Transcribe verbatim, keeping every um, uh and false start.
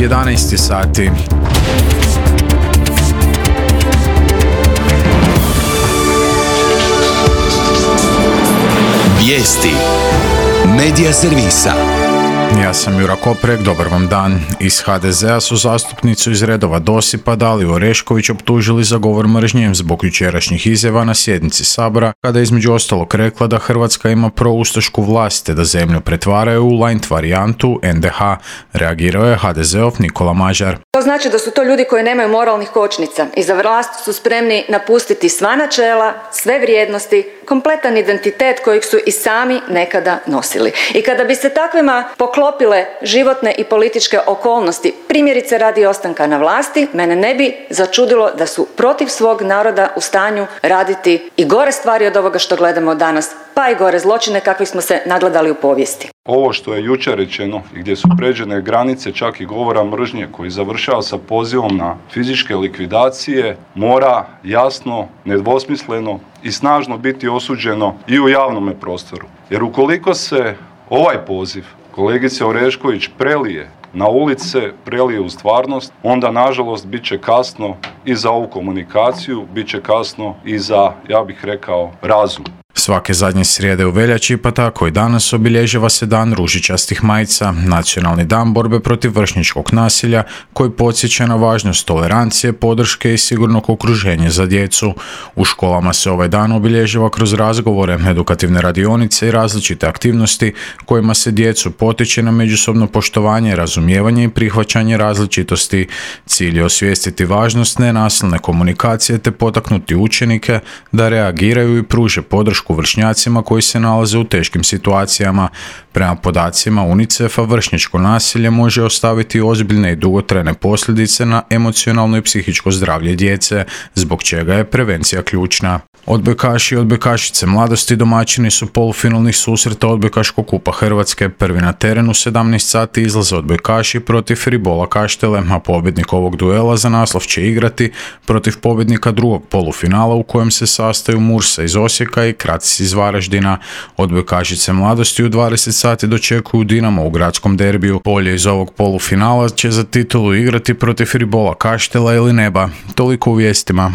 jedanaest sati. Vijesti Medija servisa. Ja sam Jura Koprek, dobar vam dan. Iz ha de zea su zastupnicu iz redova Dosipa Daliju Orešković optužili za govor mržnje zbog jučerašnjih izjava na sjednici Sabora, kada je između ostalog rekla da Hrvatska ima proustašku vlast te da zemlju pretvaraju u light varijantu en de ha. Reagirao je ha de zeov Nikola Mažar. To znači da su to ljudi koji nemaju moralnih kočnica i za vlast su spremni napustiti sva načela, sve vrijednosti, kompletan identitet kojeg su i sami nekada nosili. I kada bi se takvima poklopile životne i političke okolnosti, primjerice radi ostanka na vlasti, mene ne bi začudilo da su protiv svog naroda u stanju raditi i gore stvari od ovoga što gledamo danas, pa i gore zločine kakvih smo se nagledali u povijesti. Ovo što je jučer rečeno i gdje su pređene granice čak i govora mržnje koji završava sa pozivom na fizičke likvidacije mora jasno, nedvosmisleno i snažno biti osuđeno i u javnome prostoru. Jer ukoliko se ovaj poziv kolegice Orešković prelije na ulice, prelije u stvarnost, onda nažalost bit će kasno i za ovu komunikaciju, bit će kasno i za, ja bih rekao, razum. Svake zadnje srijede u veljači, pa tako i danas, obilježava se Dan ružičastih majica, nacionalni dan borbe protiv vršnjačkog nasilja, koji podsjeća na važnost tolerancije, podrške i sigurnog okruženja za djecu. U školama se ovaj dan obilježava kroz razgovore, edukativne radionice i različite aktivnosti kojima se djecu potiče na međusobno poštovanje, razumijevanje i prihvaćanje različitosti. Cilj je osvijestiti važnost nenasilne komunikacije te potaknuti učenike da reagiraju i pruže podršku vršnjacima koji se nalaze u teškim situacijama. Prema podacima UNICEF-a, vršnjačko nasilje može ostaviti ozbiljne i dugotrajne posljedice na emocionalno i psihičko zdravlje djece, zbog čega je prevencija ključna. Odbojkaši i odbojkašice mladosti domaćini su polufinalnih susreta Odbojkaškog kupa Hrvatske. Prvi na terenu u sedamnaest sati izlaze odbojkaši protiv Ribola Kaštele, a pobjednik ovog duela za naslov će igrati protiv pobjednika drugog polufinala u kojem se sastaju Mursa iz Osijeka i Kracis iz Varaždina. Odbojkašice mladosti u dvadeset sati dočekuju Dinamo u gradskom derbiju. Polje iz ovog polufinala će za titulu igrati protiv Ribola Kaštela ili Neba. Toliko u vijestima.